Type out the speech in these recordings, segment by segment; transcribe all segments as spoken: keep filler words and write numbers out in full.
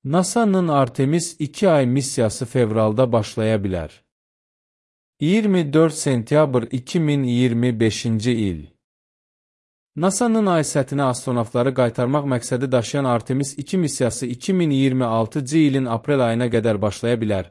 NASA'nın Artemis iki ay missiyası fevralda başlaya bilər. iyirmi dörd sentyabr iki min iyirmi beşinci il. NASA'nın ay səthinə astronavtları qaytarmaq məqsədi daşıyan Artemis iki missiyası iki min iyirmi altıncı ilin aprel ayına qədər başlaya bilər.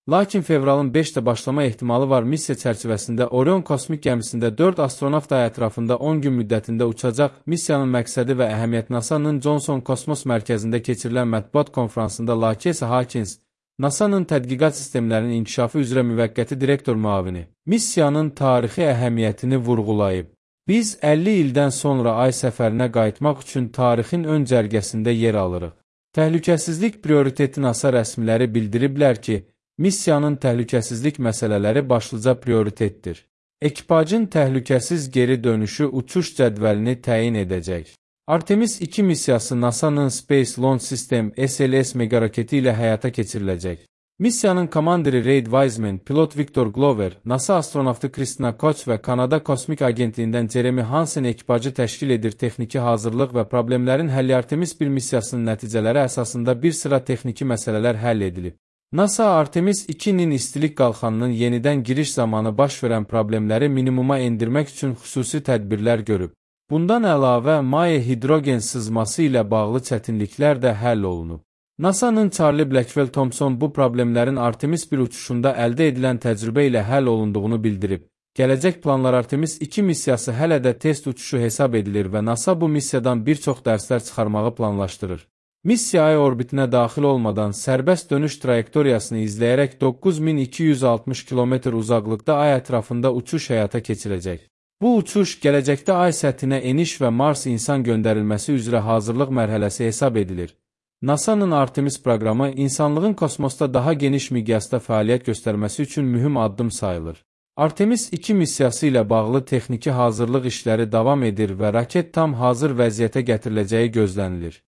Lakin fevralın beşdə başlama ehtimalı var. Missiya çərçivəsində Orion kosmik gəmisində dörd astronavt ay ətrafında on gün müddətində uçacaq. Missiyanın məqsədi və əhəmiyyət NASA'nın Johnson Kosmos Mərkəzində keçirilən mətbuat konfransında Lakesa Hawkins, NASA'nın tədqiqat sistemlərinin inkişafı üzrə müvəqqəti direktor müavini, missiyanın tarixi əhəmiyyətini vurğulayıb. Biz əlli ildən sonra ay səfərinə qayıtmaq üçün tarixin ön cərgəsində yer alırıq. Təhlükəsizlik prioriteti NASA rəsmiləri bildiriblər ki, missiyanın təhlükəsizlik məsələləri başlıca prioritetdir. Ekipajın təhlükəsiz geri dönüşü uçuş cədvəlini təyin edəcək. Artemis iki missiyası NASA'nın Space Launch System S L S megaraketi ilə həyata keçiriləcək. Missiyanın komandiri Reid Wiseman, pilot Victor Glover, NASA astronavtı Christina Koch və Kanada Kosmik Agentliyindən Jeremy Hansen ekipajı təşkil edir. Texniki hazırlıq və problemlərin həlli Artemis bir missiyasının nəticələri əsasında bir sıra texniki məsələlər həll edilib. NASA Artemis ikinin istilik qalxanının yenidən giriş zamanı baş verən problemləri minimuma endirmək üçün xüsusi tədbirlər görüb. Bundan əlavə, maye hidrogen sızması ilə bağlı çətinliklər də həll olunub. NASA'nın Charlie Blackwell Thompson bu problemlərin Artemis bir uçuşunda əldə edilən təcrübə ilə həll olunduğunu bildirib. Gələcək planlar Artemis iki missiyası hələ də test uçuşu hesab edilir və NASA bu missiyadan bir çox dərslər çıxarmağı planlaşdırır. Missiya ay orbitinə daxil olmadan sərbəst dönüş trayektoriyasını izləyərək doqquz min iki yüz altmış kilometr uzaqlıqda ay ətrafında uçuş həyata keçirəcək. Bu uçuş gələcəkdə ay səthinə eniş və Mars insan göndərilməsi üzrə hazırlıq mərhələsi hesab edilir. NASA'nın Artemis proqramı insanlığın kosmosda daha geniş miqyasda fəaliyyət göstərməsi üçün mühüm addım sayılır. Artemis iki missiyası ilə bağlı texniki hazırlıq işləri davam edir və raket tam hazır vəziyyətə gətiriləcəyi gözlənilir.